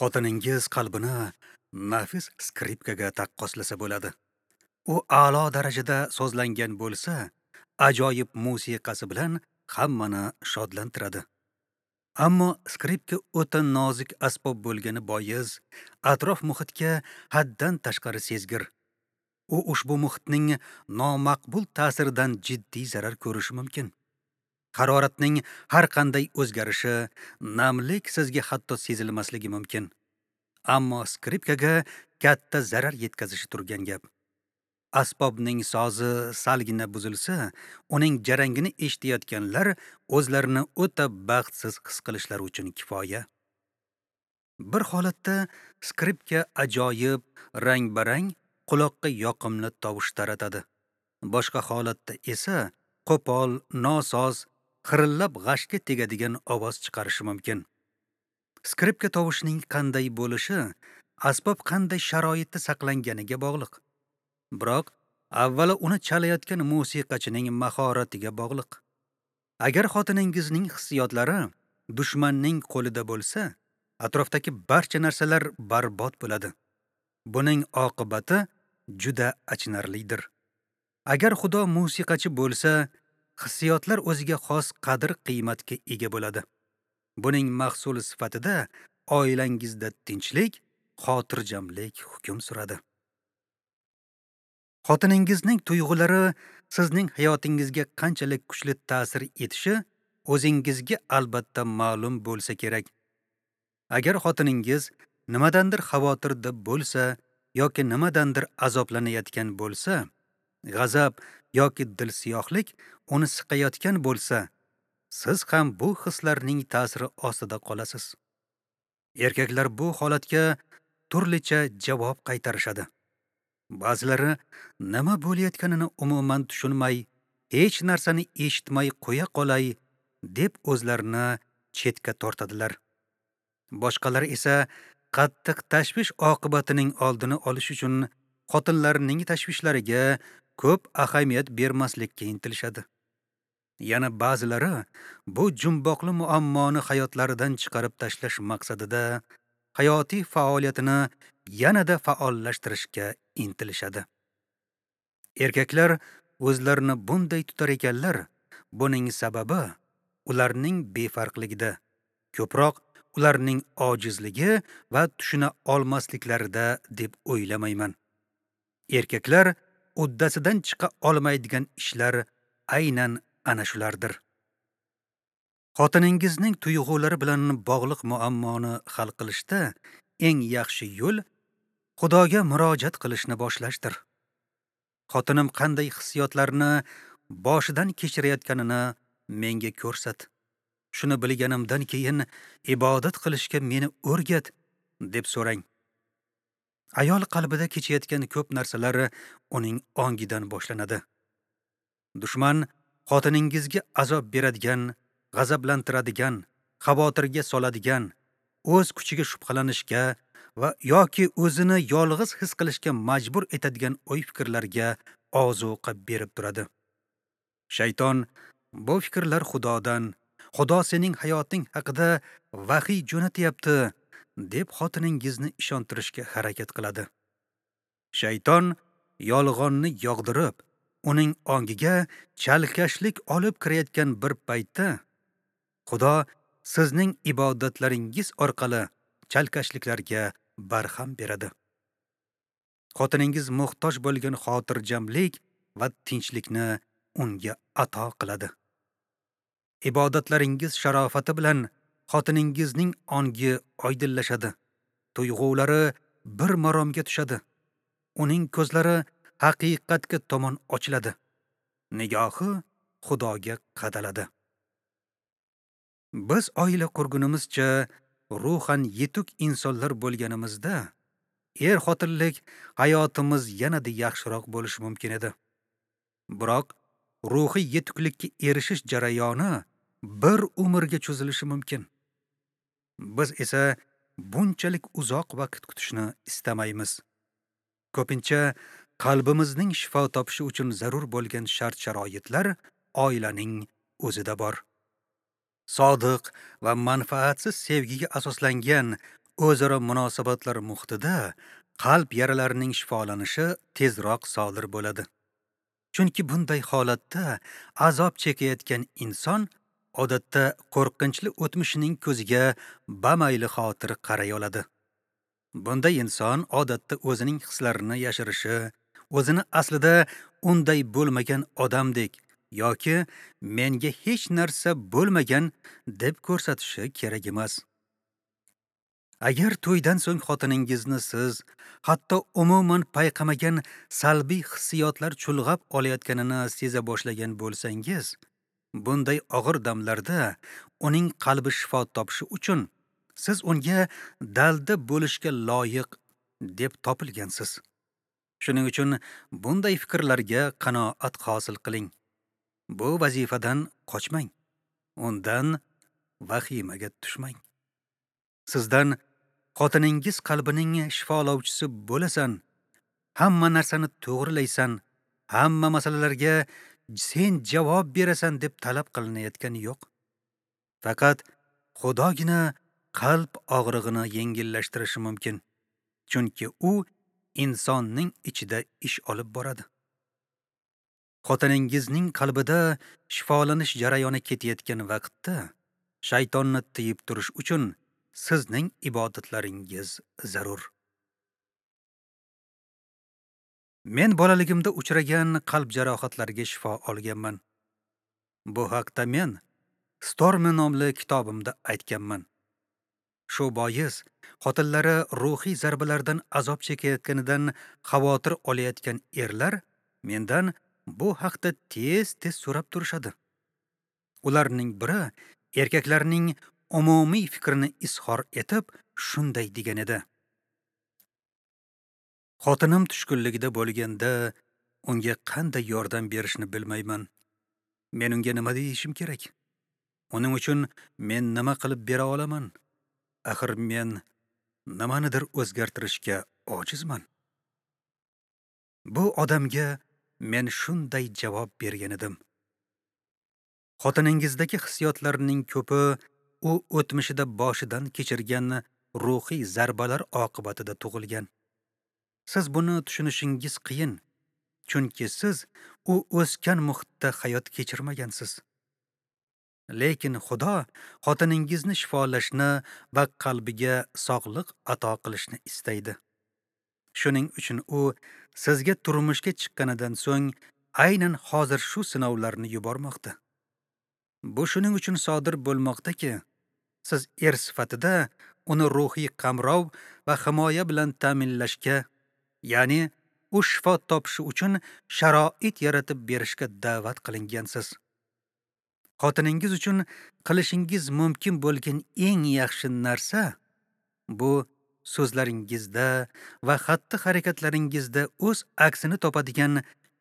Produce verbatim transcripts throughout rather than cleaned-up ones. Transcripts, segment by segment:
Xotiningiz qalbini nafis skripkaga taqqoslasa bo'ladi. U a'lo darajada sozlangan bo'lsa, ajoyib musiqasi bilan hammani shodlantiradi. Ammo skripka o'ta nozik asbob bo'lgani bois, atrof muhitga haddan tashqari sezgir. U ushbu muhitning nomaqbul ta'siridan jiddiy zarar ko'rishi mumkin. Haroratning har qanday o'zgarishi, namlik sizga hatto sezilmasligi mumkin. Ammo skripkaga katta zarar yetkazishi turgan gap. Asbobning sozi salgina buzilsa, uning jarangini eshitayotganlar o'zlarini o'ta baxtsiz his qilishlari uchun kifoya. Bir holatda skripka ajoyib, rang-barang, quloqqa yoqimli tovush taratadi. Boshqa holatda esa qo'pol, nosoz, xirillab g'ashga tegadigan ovoz chiqarishi mumkin. Skripka tovushining qanday bo'lishi asbob qanday sharoitda saqlanganiga bog'liq. Biroq avvalo uni chalayotgan musiqachining mahoratiga bog'liq. Agar xotiningizning hissiyotlari dushmanning qo'lida bo'lsa, atrofdagi barcha narsalar barbod bo'ladi. Buning oqibati juda achinarlidir. Agar Xudo musiqachi bo'lsa, hissiyotlar o'ziga xos qadr-qiymatga ega bo'ladi. Buning mahsuli sifatida oilangizda tinchlik, xotirjamlik hukm suradi. Xotiningizning tuyg'ulari sizning hayotingizga qanchalik kuchli ta'sir etishi o'zingizga albatta ma'lum bo'lsa kerak. Agar xotiningiz nimadandir xavotirda bo'lsa yoki nimadandir azoblanayotgan bo'lsa, g'azab yoki dilsiyohlik uni siqayotgan bo'lsa, siz ham bu hislarning ta'siri ostida qolasiz. Erkaklar bu holatga turlicha javob qaytarishadi. Ba'zilari nima bo'layotganini umuman tushunmay, hech narsani eshitmay qo'ya qolay deb o'zlarini chetga tortadilar. Boshqalari esa qattiq tashvish oqibatining oldini olish uchun xotinlarining tashvishlariga ko'p ahamiyat bermaslikka intilishadi. Yana ba'zilari bu jumboqli muammoni hayotlaridan chiqarib tashlash maqsadida hayotiy faoliyatini yanada faollashtirishga intilishadi. Erkaklar o'zlarini bunday tutar ekanlar, buning sababi ularning befarqligida, ko'proq ularning ojizligi va tushuna olmasliklarida deb o'ylamayman. Erkaklar uddasidan chiqa olmaydigan ishlar aynan ana shulardir. Xotiningizning tuyg'ulari bilan bog'liq muammoni hal qilishda eng yaxshi yo'l Xudoga murojaat qilishni boshlashdir. Xotinim qanday hissiyotlarni boshidan kechirayotganini menga ko'rsat. Shuni bilganimdan keyin ibodat qilishga meni o'rgat deb so'rang. Ayol qalbida kechayotgan ko'p narsalar uning ongidan boshlanadi. Dushman xotiningizga azob beradigan, g'azablantiradigan, xavotirga soladigan, o'z kuchiga shubhalanishga va yoki o'zini yolg'iz his qilishga majbur etadigan o'y-fikrlarga ozuqa berib turadi. Shayton bu fikrlar Xudodan, Xudo sening hayoting haqida vahiy jo'natyapti deb xotiningizni ishontirishga harakat qiladi. Shayton yolg'onni yog'dirib, uning ongiga chalkashlik olib kirayotgan bir paytda Xudo sizning ibodatlaringiz orqali chalkashliklarga barham beradi. Xotiningiz muhtoj bo'lgan xotirjamlik va tinchlikni unga ato qiladi. Ibodatlaringiz sharofati bilan xotiningizning ongi oydinlashadi, tuyg'ulari bir maromga tushadi. Uning ko'zlari haqiqatga tomon ochiladi. Nigohi Xudoga qadaladi. Biz oila qurgunimizcha ruhan yetuk insonlar bo'lganimizda, er-xotinlik hayotimiz yanada yaxshiroq bo'lishi mumkin edi. Biroq ruhiy yetuklikka erishish jarayoni bir umrga cho'zilishi mumkin. Biz esa bunchalik uzoq vaqt kutishni istamaymiz. Ko'pincha qalbimizning shifo topishi uchun zarur bo'lgan shart-sharoitlar oilaning o'zida bor. Sodiq va manfaatsiz sevgiga asoslangan o'zaro munosabatlar muhitida qalb yaralarining shifolanishi tezroq sodir bo'ladi. Chunki bunday holatda azob chekayotgan inson odatda qo'rqinchli o'tmishining ko'ziga bamayli xotir qaray oladi. Bunday inson odatda o'zining hislarini yashirishi, o'zini aslida unday bo'lmagan odamdek yoki menga hech narsa bo'lmagan deb ko'rsatishi kerak emas. Agar to'ydan so'ng xotiningizni siz hatto umuman payqamagan salbiy hissiyotlar chulg'ab olayotganini seza boshlagan bo'lsangiz, bunday og'ir damlarda uning qalbi shifo topishi uchun siz unga dalda bo'lishga loyiq deb topilgansiz. Shuning uchun bunday fikrlarga qanoat hosil qiling. Bu vazifadan qochmang. Undan vahimaga tushmang. Sizdan xotiningiz qalbining shifolovchisi bo'lasan, hamma narsani to'g'rilaysan, hamma masalalarga sen javob berasan deb talab qilinayotgani yo'q. Faqat Xudogina qalb og'rig'ini yengillashtirishi mumkin. Chunki u insonning ichida ish olib boradi. Xotiningizning qalbida shifolanish jarayoni ketayotgan vaqtda shaytonni tiyib turish uchun sizning ibodatlaringiz zarur. Men bolaligimda uchragan qalb jarohatlariga shifo olganman. Bu haqda men Storm nomli kitobimda aytganman. Shu bois xotinlari ruhiy zarbalardan azob chekayotganidan xavotir olayotgan erlar mendan bu haqda tez-tez so'rab turishadi. Ularning biri erkaklarning umumiy fikrini izhor etib shunday degan edi: Xotinim tushkunligida bo'lganda unga qanday yordam berishni bilmayman. Men unga nima deyishim kerak? Uning uchun men nima qilib bera olaman? Axir men nimanidir o'zgartirishga ojizman. Bu odamga men shunday javob bergan edim: Xotiningizdagi hissiyotlarning ko'pi u o'tmishida boshidan kechirgan ruhiy zarbalar oqibatida tug'ilgan. Siz buni tushunishingiz qiyin, chunki siz u o'sgan muhitda hayot kechirmagansiz. Lekin Xudo xotiningizni shifolashni va qalbiga sog'liq ato qilishni istaydi. Shuning uchun u sizga turmushga chiqqanidan so'ng aynan hozir shu sinovlarni yubormoqda. Bu shuning uchun sodir bo'lmoqdaki, siz er sifatida uni ruhiy qamrov va himoya bilan ta'minlashga, ya'ni u shifo topishi uchun sharoit yaratib berishga da'vat qilingansiz. Xotiningiz uchun qilishingiz mumkin bo'lgan eng yaxshi narsa bu so'zlaringizda va xatti-harakatlaringizda o'z aksini topadigan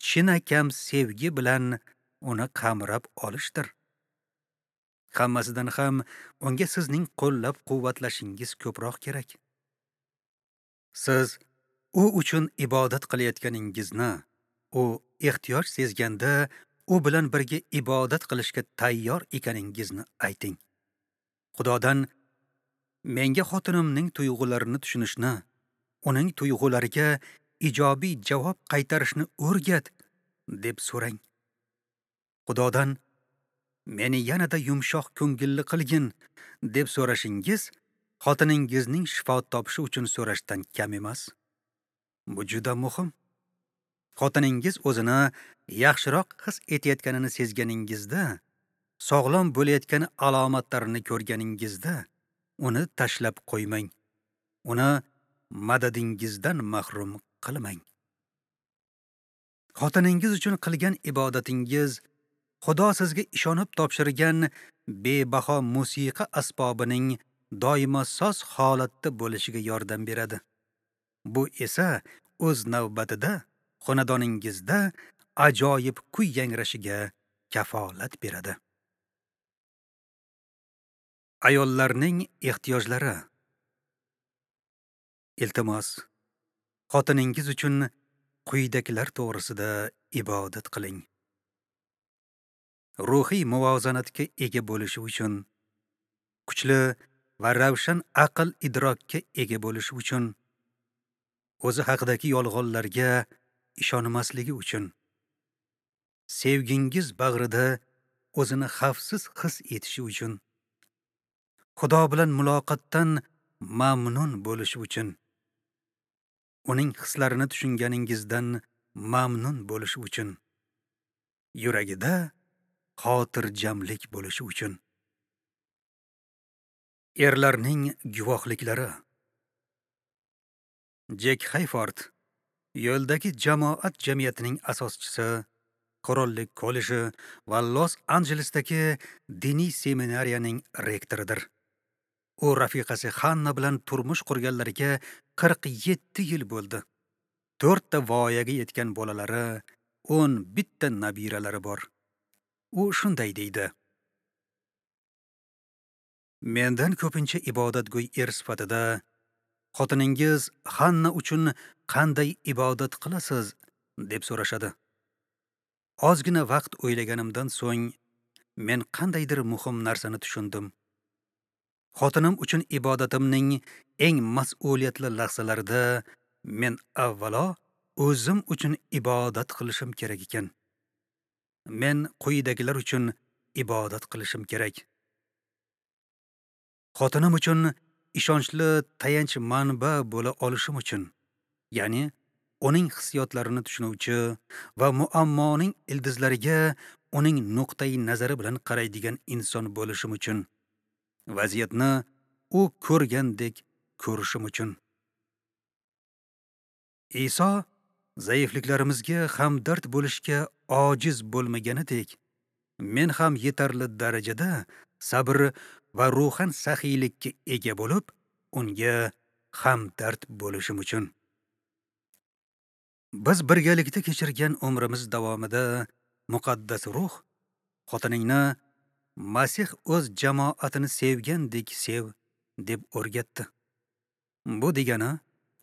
chinakam sevgi bilan uni qamrab olishdir. Hammasidan ham unga sizning qo'llab-quvvatlashingiz ko'proq kerak. Siz u uchun ibodat qilayotganingizni, u ehtiyoj sezganda u bilan birga ibodat qilishga tayyor ekaningizni ayting. Xudodan menga xotinimning tuyg'ularini tushunishni, uning tuyg'ulariga ijobiy javob qaytarishni o'rgat deb so'rang. Xudodan meni yanada yumshoq ko'ngilli qilgin deb so'rashingiz xotiningizning shifo topishi uchun so'rashdan kam emas. Bu juda muhim. Xotiningiz o'zini yaxshiroq his etayotganini sezganingizda, sog'lom bo'layotgan alomatlarini ko'rganingizda uni tashlab qo'ymang. Uni madadingizdan mahrum qilmang. Xotiningiz uchun qilgan ibodatingiz Xudo sizga ishonib topshirgan bebaho musiqa asbobining doimo soz holatda bo'lishiga yordam beradi. Bu esa o'z navbatida xonadoningizda ajoyib kuy yangrashiga kafolat beradi. Ayollarning ehtiyojlari. Iltimos, xotiningiz uchun quyidagilar to'g'risida ibodat qiling. Ruhiy muvozanatga ega bo'lishi uchun, kuchli va ravshan aql idrokka ega bo'lishi uchun, o'zi haqidagi yolg'onlarga ishonmasligi uchun, sevgingiz bag'rida o'zini xavfsiz his etishi uchun, Xudo bilan muloqotdan mamnun bo'lishi uchun, uning hislarini tushunganingizdan mamnun bo'lishi uchun, yuragida xotirjamlik bo'lishi uchun. Erlarning guvohliklari. Jek Hayford, yo'ldagi jamoat jamiyatining asoschisi, Qirollik kolleji va Los-Anjelesdagi diniy seminariyaning rektoridir. U rafiqasi Hanna bilan turmush qurganlariga qirq yetti yil bo'ldi. To'rtta voyaga yetgan bolalari, o'n bitta nabiralari bor. U shunday deydi: Mendan ko'pincha ibodatgo'y er sifatida xotiningiz Hanna uchun qanday ibodat qilasiz deb so'rashadi. Ozgina vaqt o'ylaganimdan so'ng men qandaydir muhim narsani tushundim. Xotinim uchun ibodatimning eng mas'uliyatli lahzalarida men avvalo o'zim uchun ibodat qilishim kerak ekan. Men quyidagilar uchun ibodat qilishim kerak. Xotinim uchun ishonchli tayanch manba bo'la olishim uchun, ya'ni uning hissiyotlarini tushunuvchi va muammoning ildizlariga uning nuqtai nazari bilan qaraydigan inson bo'lishim uchun, vaziyatni u ko'rgandek ko'rishim uchun. Iso zaifliklarimizga hamdard bo'lishga ojiz bo'lmaganidek, men ham yetarli darajada sabr va ruhan saxiylikka ega bo'lib, unga hamdard bo'lishim uchun. Biz birgalikda kechirgan umrimiz davomida muqaddas ruh xotiningni Masih o'z jamoatini sevgandek sev deb o'rgatdi. Bu degani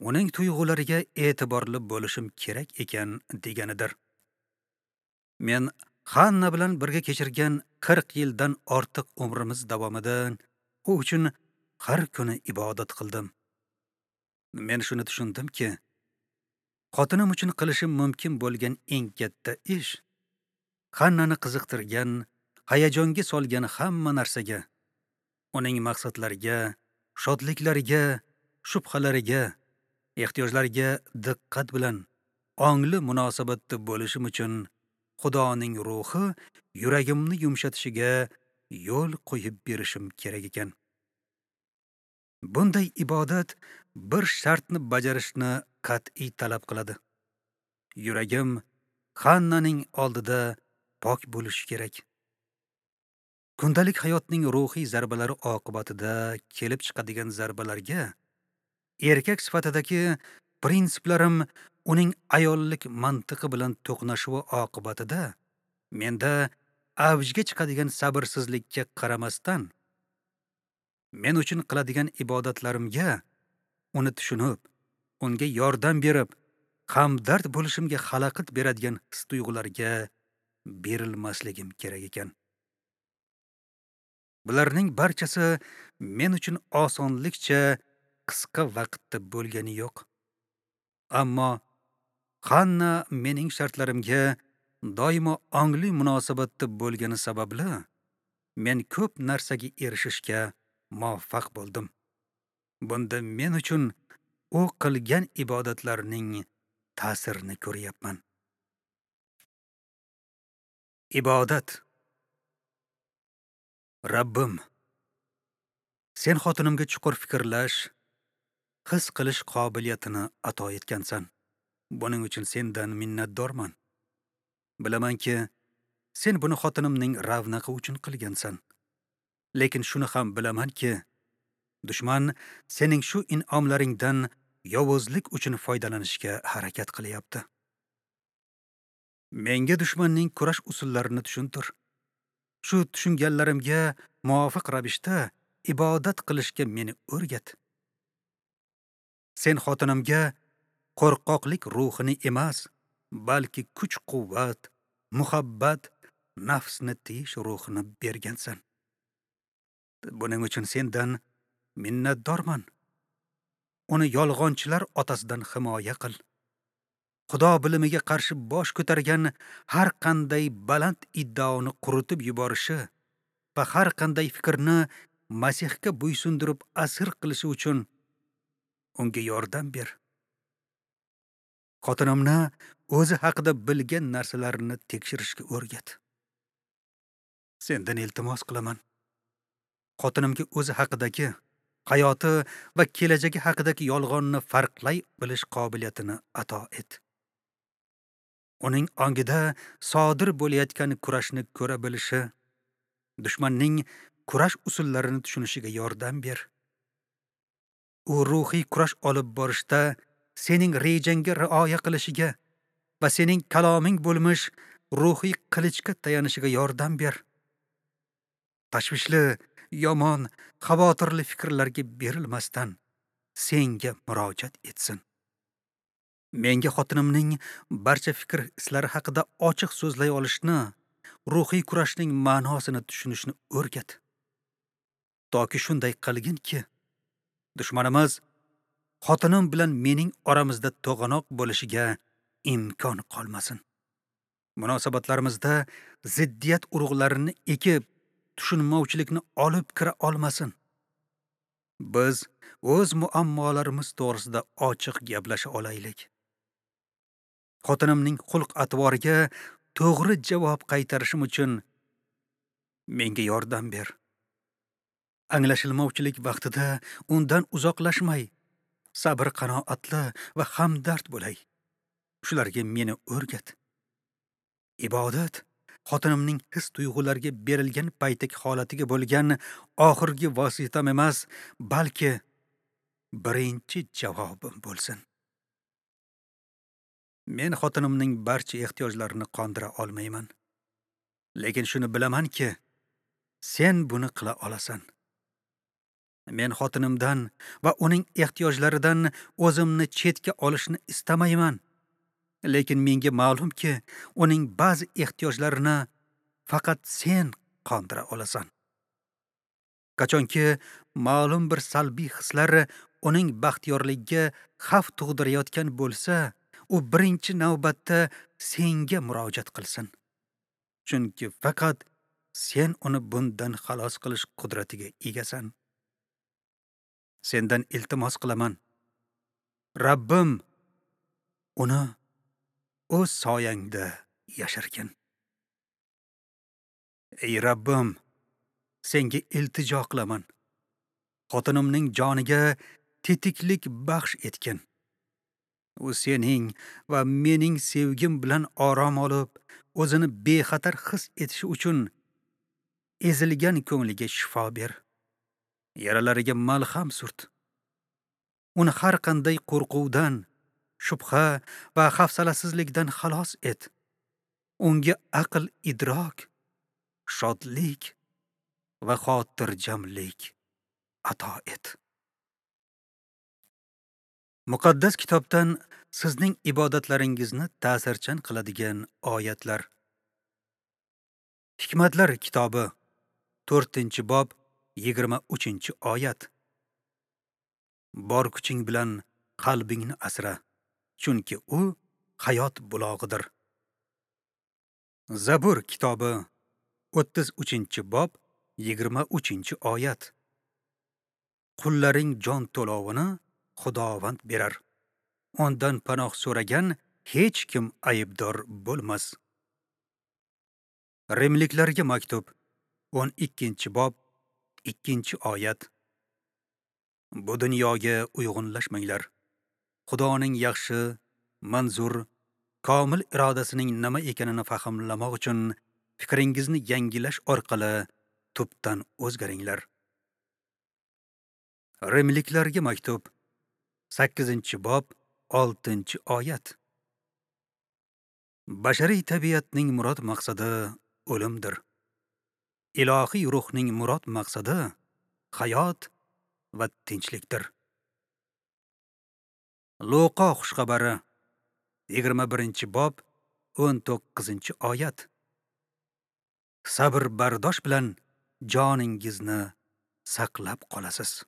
uning tuyg'ulariga e'tiborli bo'lishim kerak ekan deganidir. Men Hanna bilan birga kechirgan qirq yildan ortiq umrimiz davomida u uchun har kuni ibodat qildim. Men shuni tushundimki, xotinim uchun qilishim mumkin bo'lgan eng katta ish Hannani qiziqtirgan, hayajonga solgan hamma narsaga, uning maqsadlariga, shodliklariga, shubhalariga, ehtiyojlariga diqqat bilan ongli munosabatda bo'lishim uchun Xudoning ruhi yuragimni yumshatishiga yo'l qo'yib berishim kerak ekan. Bunday ibodat bir shartni bajarishni qat'iy talab qiladi. Yuragim Hannaning oldida pok bo'lishi kerak. Kundalik hayotning ruhiy zarbalari oqibatida kelib chiqadigan zarbalarga erkak sifatidagi prinsiplarim uning ayollik mantiqi bilan to'qnashuvi oqibatida menda avjga chiqadigan sabrsizlikka qaramasdan, men uchun qiladigan ibodatlarimga uni tushunib, unga yordam berib, hamdard bo'lishimga xalaqit beradigan his-tuyg'ularga berilmasligim kerak ekan. Bularning barchasi men uchun osonlikcha qisqa vaqtda bo'lgani yo'q. Ammo Hanna mening shartlarimga doimo ongli munosabatda bo'lgani sababli men ko'p narsaga erishishga muvaffaq bo'ldim. Bunda men uchun u qilgan ibodatlarning ta'sirini ko'ryapman. Ibodat. Rabbim, sen xotinimga chuqur fikrlash, his qilish qobiliyatini ato etgansan. Buning uchun sendan minnatdorman. Bilamanki, sen buni xotinimning ravnaqi uchun qilgansan. Lekin shuni ham bilamanki, dushman sening shu in'omlaringdan yovuzlik uchun foydalanishga harakat qilyapti. Menga dushmanning kurash usullarini tushuntir. Shu tushunganlarimga muvofiq ravishda ibodat qilishga meni o'rgat. Sen xotinimga qo'rqoqlik ruhini emas, balki kuch-quvvat, muhabbat, nafsni tiyish ruhini bergansan. Buning uchun sendan minnatdorman. Uni yolg'onchilar otasidan himoya qil. Xudo bilimiga qarshi bosh ko'targan har qanday baland iddaoni quritib yuborishi va har qanday fikrni Masihga bo'ysundirib asir qilishi uchun unga yordam ber. Xotinimni o'zi haqida bilgan narsalarini tekshirishga o'rgat. Sendan iltimos qilaman. Xotinimga o'zi haqidagi, hayoti va kelajagi haqidagi yolg'onni farqlay bilish qobiliyatini ato et. Uning ongida sodir bo'layotgan kurashni ko'ra bilishi, dushmanning kurash usullarini tushunishiga yordam ber. U ruhiy kurash olib borishda sening rejangga rioya qilishiga va sening kaloming bo'lmish ruhiy qilichga tayanishiga yordam ber. Tashvishli, yomon, xavotirli fikrlarga berilmasdan senga murojaat etsin. Menga xotinimning barcha fikr hislari haqida ochiq so'zlay olishni, ruhiy kurashning ma'nosini tushunishni o'rgat. Toki shunday qilginki, dushmanimiz xotinim bilan mening oramizda to'g'anoq bo'lishiga imkon qolmasin. Munosabatlarimizda ziddiyat urug'larini ekib, tushunmovchilikni olib kira olmasin. Biz o'z muammolarimiz to'g'risida ochiq gaplasha olaylik. Xotinimning xulq-atvoriga to'g'ri javob qaytarishim uchun menga yordam ber. Anglashilmovchilik vaqtida undan uzoqlashmay, sabr qanoatli va hamdard bo'lay. Shularga meni o'rgat. Ibodat xotinimning his-tuyg'ularga berilgan paytdagi holatiga bo'lgan oxirgi vositam emas, balki birinchi javobim bo'lsin. Men xotinimning barcha ehtiyojlarini qondira olmayman. Lekin shuni bilamanki, sen buni qila olasan. Men xotinimdan va uning ehtiyojlaridan o'zimni chetga olishni istamayman. Lekin menga ma'lumki, uning ba'zi ehtiyojlarini faqat sen qondira olasan. Qachonki ma'lum bir salbiy hislar uning baxtiyorligiga xavf tug'dirayotgan bo'lsa, u birinchi navbatda senga murojaat qilsin. Chunki faqat sen uni bundan xalos qilish qudratiga egasan. Sendan iltimos qilaman. Rabbim uni o'z soyangda yashirgin. Ey Rabbim, senga iltijo qilaman. Xotinimning joniga tetiklik baxsh etgin. U sening va mening sevgim bilan orom olib, o'zini bexatar his etishi uchun ezilgan ko'ngliga shifo ber. Yaralariga malham surt. Uni har qanday qo'rquvdan, shubha va hafsalasizlikdan xalos et. Unga aql idrok, shodlik va xotirjamlik ato et. Muqaddas kitobdan sizning ibodatlaringizni ta'sirchan qiladigan oyatlar. Hikmatlar kitobi to'rtinchi bob yigirma uchinchi oyat. Bor kuching bilan qalbingni asra, chunki u hayot bulog'idir. Zabur kitobi o'ttiz uchinchi bob yigirma uchinchi oyat. Qullaring jon to'lovini Xudovand berar. Ondan panoh so'ragan hech kim aybdor bo'lmas. Rimliklarga maktub o'n ikkinchi bob ikkinchi oyat. Bu dunyoga uyg'unlashmanglar. Xudoning yaxshi, manzur, komil irodasining nima ekanini fahmlamoq uchun fikringizni yangilash orqali tubdan o'zgaringlar. Rimliklarga maktub sakkizinchi bob oltinchi oyat. Bashariy tabiatning murod maqsadi o'limdir. Ilohiy ruhning murod maqsadi hayot va tinchlikdir. Luqo xushxabari yigirma birinchi bob o'n to'qqizinchi oyat. Sabr bardosh bilan joningizni saqlab qolasiz.